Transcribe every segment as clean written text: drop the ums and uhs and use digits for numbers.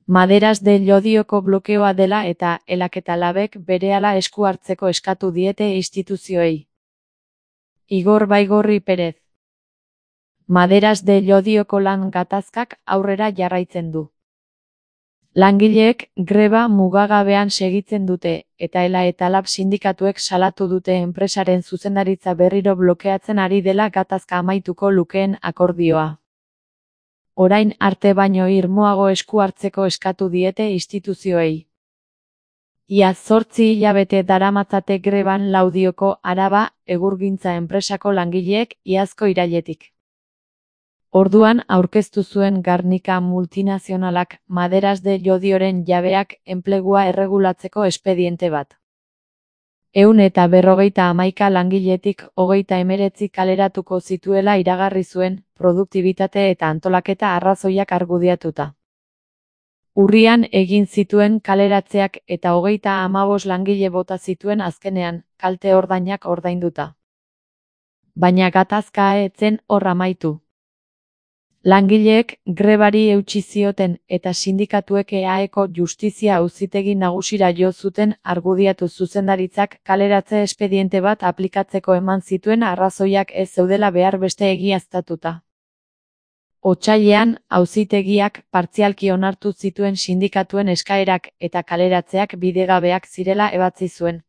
Maderas de Llodioko blokeoa dela eta Elak eta Labek berehala esku hartzeko eskatu diete instituzioei. Igor Baigorri Perez. Maderas de Llodioko lan gatazkak aurrera jarraitzen du. Langileek greba mugagabean segitzen dute, eta Ela eta Lab sindikatuek salatu dute enpresaren zuzendaritza berriro blokeatzen ari dela gatazka amaituko lukeen akordioa. Orain arte baino irmoago esku hartzeko eskatu diete instituzioei. Ia 8 hilabete daramatzate greban Laudioko Araba egurgintza enpresako langileek iazko irailetik. Orduan aurkeztu zuen Garnika multinazionalak Maderas de Llodioren jabeak enplegua erregulatzeko espediente bat. 151 langiletik 39 kaleratuko zituela iragarri zuen, produktibitate eta antolaketa arrazoiak argudiatuta. Urrian egin zituen kaleratzeak eta 35 langile bota zituen azkenean, kalte ordainak ordainduta. Baina gatazka ez zen hor amaitu. Langileek grebari eutsi zioten eta sindikatuek EAeko Justizia Auzitegi Nagusira jo zuten argudiatu zuzendaritzak kaleratze espediente bat aplikatzeko eman zituen arrazoiak ez zeudela behar beste egiaztatuta. Otsailean, auzitegiak partzialki onartu zituen sindikatuen eskaerak eta kaleratzeak bidegabeak zirela ebatzi zuen.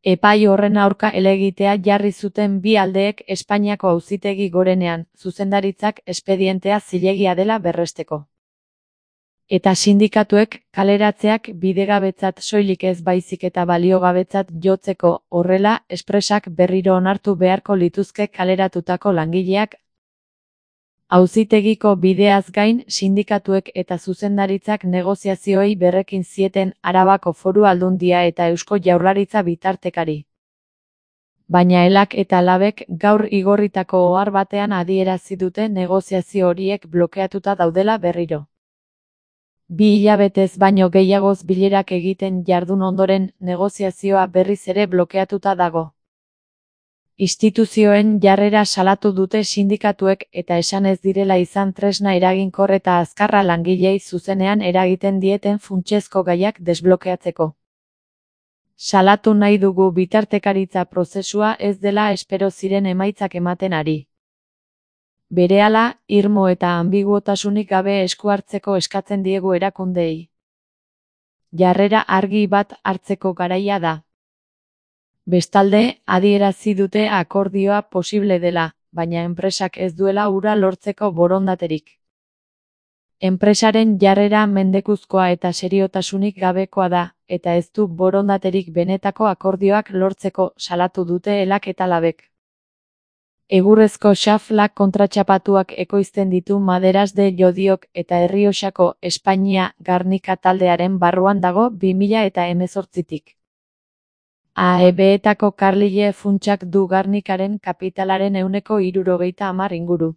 Epai horren aurka helegitea jarri zuten bi aldeek Espainiako Auzitegi Gorenean, zuzendaritzak espedientea zilegia dela berresteko. Eta sindikatuek kaleratzeak bidegabetzat soilik ez baizik eta baliogabetzat jotzeko, horrela, espresak berriro onartu beharko lituzke kaleratutako langileak. Auzitegiko bideaz gain, sindikatuek eta zuzendaritzak negoziazioei berrekin zieten Arabako Foru Aldundia eta Eusko Jaurlaritza bitartekari. Baina Elak eta Labek gaur igorritako ohar batean adierazi dute negoziazio horiek blokeatuta daudela berriro. 2 hilabetez baino gehiagoz bilerak egiten jardun ondoren, negoziazioa berriz ere blokeatuta dago. Instituzioen jarrera salatu dute sindikatuek eta esan ez direla izan tresna eraginkor eta azkarra langilei zuzenean eragiten dieten funtsezko gaiak desblokeatzeko. Salatu nahi dugu bitartekaritza prozesua ez dela espero ziren emaitzak ematen ari. Berehala, irmo eta ambiguotasunik gabe esku hartzeko eskatzen diegu erakundeei. Jarrera argi bat hartzeko garaia da. Bestalde, adierazi dute akordioa posible dela, baina enpresak ez duela hura lortzeko borondaterik. Enpresaren jarrera mendekuzkoa eta seriotasunik gabekoa da, eta ez du borondaterik benetako akordioak lortzeko salatu dute Elak eta Labek. Egurrezko xaflak kontratxapatuak ekoizten ditu Maderas de Llodiok eta Errioxako Espainia Garnika taldearen barruan dago 2018tik. AEB-etako Carlyle funtsak du Garnikaren kapitalaren 60% inguru.